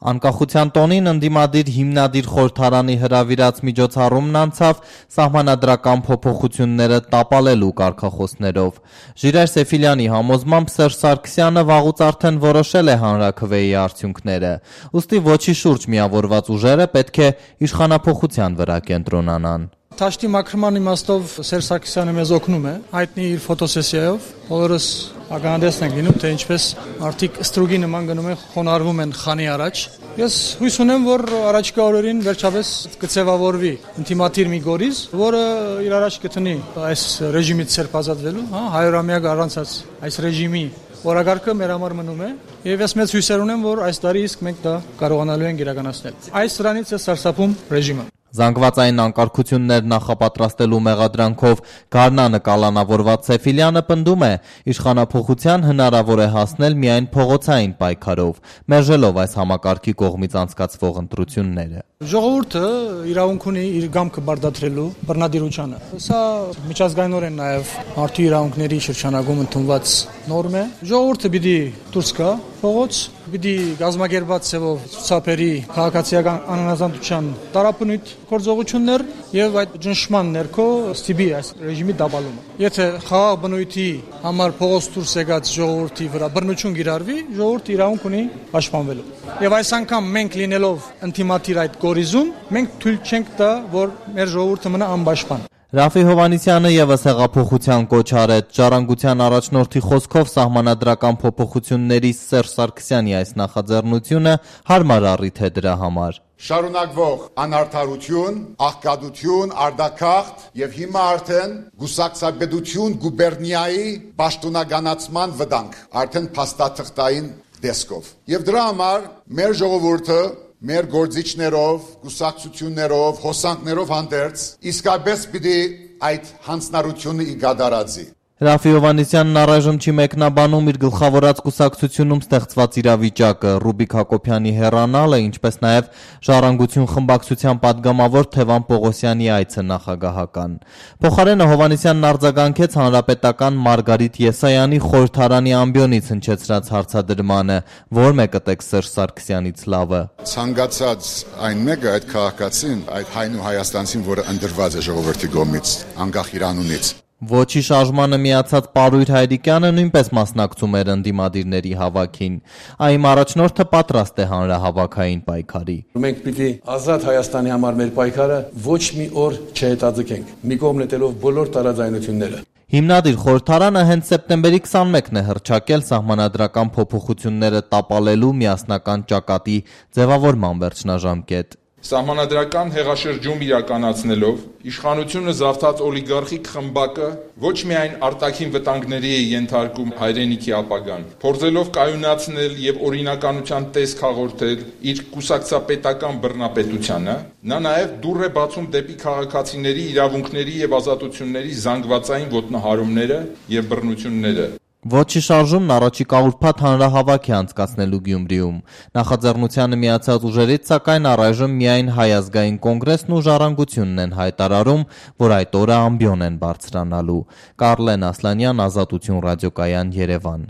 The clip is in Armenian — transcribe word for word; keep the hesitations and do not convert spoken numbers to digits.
Անկախության տոնին ընդդիմադիր հիմնադիր խորհրդարանի հրավիրած միջոցառումն անցավ սահմանադրական փոփոխությունները տապալելու կարգախոսներով։ Ժիրայր Սեֆիլյանի համոզմամբ Սերժ Սարգսյանը վաղուց արդեն որոշել է հանրաքվեի արդյունքները, ուստի ոչի շուրջ միավորված ուժերը պետք է իշխանափոխության վրա կենտրոնանան։ Թաշտի մաքրման իմաստով Սերժ Սարգսյանը մեզ օգնում է, հայտնի իր ֆոտոսեսիայով, բոլորս ականատես ենք լինում, թե ինչպես արդիկ ստրուգի նման գնում են, խոնարհվում են խանի առաջ։ Ես հույս ունեմ, որ առաջիկա օրերին վերջապես կձևավորվի ինտիմատիր մի գորիզ, որը իր առաջ կտնի այս ռեժիմից ցերպ ազատվելու, հա, հայրամյակ առանցած այս ռեժիմի օրագարկը մեր համար մնում է, եւ ես մեծ հույսեր ունեմ, որ այս տարի իսկ մենք դա կարողանալու ենք իրականացնել։ Այս դրանից է սարսափում ռեժիմը։ Զանգվածային անկարգություններ նախապատրաստելու մեղադրանքով գարնանը կալանավորված Սեֆիլյանը պնդում է, իշխանափոխության հնարավոր է հասնել միայն փողոցային պայքարով, մերժելով այս համակարգի կողմից անցկացվող ընտրությունները։ Ժողովուրդը իրավունք ունի իր գամքը բարդացրելու բռնադիրությանը։ Սա միջազգայինորեն նաև մարդու իրավունքների շրջանակում ընդունված նորմ է։ Ժողովուրդը պիտի դուրս գա փողոց, պիտի գազམ་ագերբած ցևով ցուցաբերի քաղաքացիական անհնազանդության տարապնույթ գործողություններ եւ այդ ճնշման ներքո ստիպի այս ռեժիմի դաբալումը։ Եթե խաղաղ բնույթի համար փողոց դուրս եկած ժողովրդի վրա բռնություն գիրառվի, ժողովուրդը իրավունք ունի պաշտպանվելու։ Եվ այս անգամ մենք լինելով ինտիմատիր այդ գորիզում, մենք թույլ չենք տա, որ մեր ժողովուրդը մնա անպաշտպան։ Ռաֆի Հովհաննիսյանը եւս հեղափոխության կոչ արեց։ Ժառանգության առաջնորդի խոսքով սահմանադրական փոփոխությունների Սերժ Սարգսյանի այս նախաձեռնությունը հարմար առիթ է դրա համար։ Շարունակվող անարդարություն, աղքատություն, արտաքաղթ եւ հիմա արդեն գուսակցաբեդություն գուբերնիայի պաշտոնականացման վտանգ, արդեն փաստաթղթային դեսկով։ Եվ դրա համար մեր ժողովուրդը մեր գործիչներով, գուսակցություններով, հոսանքներով հանդերձ իսկապես պիտի այդ հանձնարարությունը իգադարածի։ Ռաֆի Հովհաննիսյանն առայժմ չի մեկնաբանում իր գլխավորած կուսակցությունում ստեղծված իրավիճակը, Ռուբիկ Հակոբյանի հեռանալը, ինչպես նաև Ժառանգություն խմբակցության падգամավոր Թևան Պողոսյանի այցը նախագահական։ Փոխարենը Հովհաննիսյանն արձագանքեց հանրապետական Մարգարիտ Եսայանի խորհրդարանի ամբիոնից հնչեցրած հարցադրմանը, որ մեկըտեք Սերժ Սարգսյանից լավը։ Ցանկացած այն մեկը այդ քաղաքացին, այդ հայն ու հայաստանցին, որը ընդրված է ժողովրդի կողմից, անկախ իր անունից։ Ոչի շարժմանը միացած Պարույր Հայրիկյանը նույնպես մասնակցում էր ընդդիմադիրների հավաքին։ Այն առաջնորդը պատրաստ է հանրահավաքային պայքարի։ Մենք պիտի ազատ Հայաստանի համար մեր պայքարը ոչ մի օր չհետաձգենք, մի կողմ նետելով բոլոր տարաձայնությունները։ Հիմնադիր խորհրդարանը հենց սեպտեմբերի քսանմեկն է հռչակել սահմանադրական փոփոխությունները տապալելու միասնական ճակատի ձևավորման վերջնաժամկետ։ Սահմանադրական հեղաշրջում իրականացնելով իշխանությունը զավթած օլիգարխիկ խմբակը ոչ միայն արտաքին վտանգների է ենթարկում հայրենիքի ապագան, փորձելով կայունացնել եւ օրինականության տեսք հաղորդել իր կուսակցապետական բռնապետությանը, նա նաեւ դուռ է բացում դեպի քաղաքացիների իրավունքների եւ ազատությունների զանգվածային ոտնահարումները եւ բռնությունները։ Ոչի շարժումն առաջիկա ուրբաթ հանրահավաք է անցկացնելու Գյումրիում։ Նախաձեռնությանը միացած ուժերից սակայն առայժմ միայն Հայ ազգային կոնգրեսն ու Ժառանգությունն են հայտարարում, որ այդ օրը ամբիոն են բարձրանալու։ Կարլեն Ասլանյան, Ազատություն ռադիոկայան, Երևան։